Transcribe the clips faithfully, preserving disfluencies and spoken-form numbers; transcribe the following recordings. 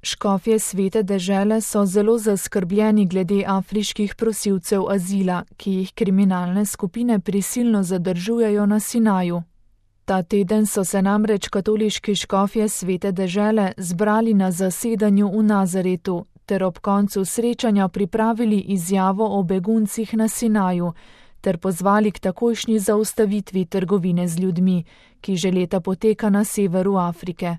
Škofje Svete dežele so zelo zaskrbljeni glede afriških prosilcev azila, ki jih kriminalne skupine prisilno zadržujejo na Sinaju. Ta teden so se namreč katoliški škofje Svete dežele zbrali na zasedanju v Nazaretu ter ob koncu srečanja pripravili izjavo o beguncih na Sinaju ter pozvali k takojšnji zaustavitvi trgovine z ljudmi, ki že leta poteka na severu Afrike.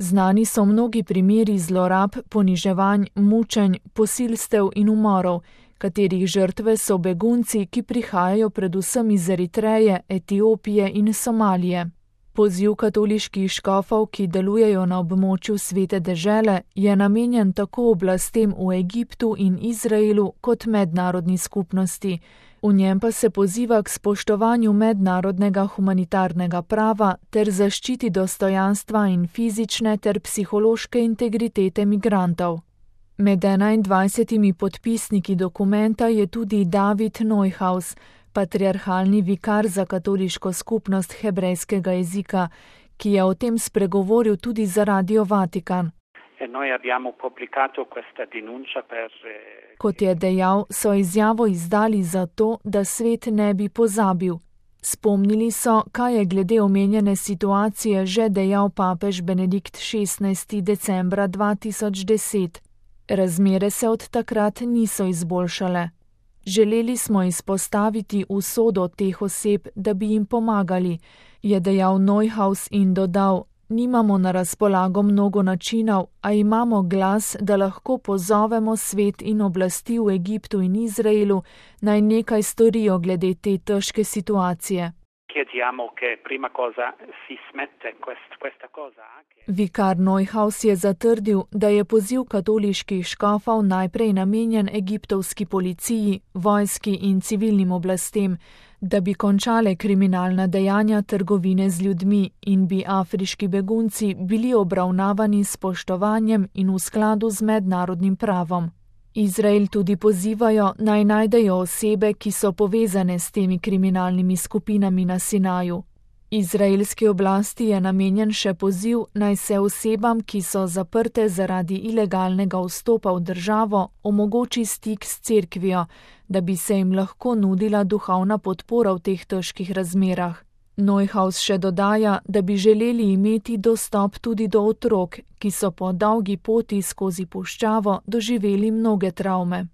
Znani so mnogi primeri zlorab, poniževanj, mučenj, posilstev in umorov, katerih žrtve so begunci, ki prihajajo predvsem iz Eritreje, Etiopije in Somalije. Poziv katoliških škofov, ki delujejo na območju Svete dežele, je namenjen tako oblastem v Egiptu in Izraelu kot mednarodni skupnosti. V njem pa se poziva k spoštovanju mednarodnega humanitarnega prava ter zaščiti dostojanstva in fizične ter psihološke integritete migrantov. Med enaindvajsetimi podpisniki dokumenta je tudi David Neuhaus, patriarhalni vikar za katoliško skupnost hebrejskega jezika, ki je o tem spregovoril tudi za Radio Vatikan. Kot je dejal, so izjavo izdali zato, da svet ne bi pozabil. Spomnili so, kaj je glede omenjene situacije že dejal papež Benedikt šestnajsti decembra dva tisoč deset. Razmere se od takrat niso izboljšale. Želeli smo izpostaviti usodo teh oseb, da bi jim pomagali, je dejal Neuhaus in dodal: Nimamo na razpolago mnogo načinov, a imamo glas, da lahko pozovemo svet in oblasti v Egiptu in Izraelu, naj nekaj storijo glede te težke situacije. Vikar Neuhaus je zatrdil, da je poziv katoliških škofov najprej namenjen egiptovski policiji, vojski in civilnim oblastem, da bi končale kriminalna dejanja trgovine z ljudmi in bi afriški begunci bili obravnavani s spoštovanjem in v skladu z mednarodnim pravom. Izrael tudi pozivajo, naj najdejo osebe, ki so povezane s temi kriminalnimi skupinami na Sinaju. Izraelski oblasti je namenjen še poziv, naj se osebam, ki so zaprte zaradi ilegalnega vstopa v državo, omogoči stik s cerkvijo, da bi se jim lahko nudila duhovna podpora v teh težkih razmerah. Neuhaus še dodaja, da bi želeli imeti dostop tudi do otrok, ki so po dolgi poti skozi puščavo doživeli mnoge travme.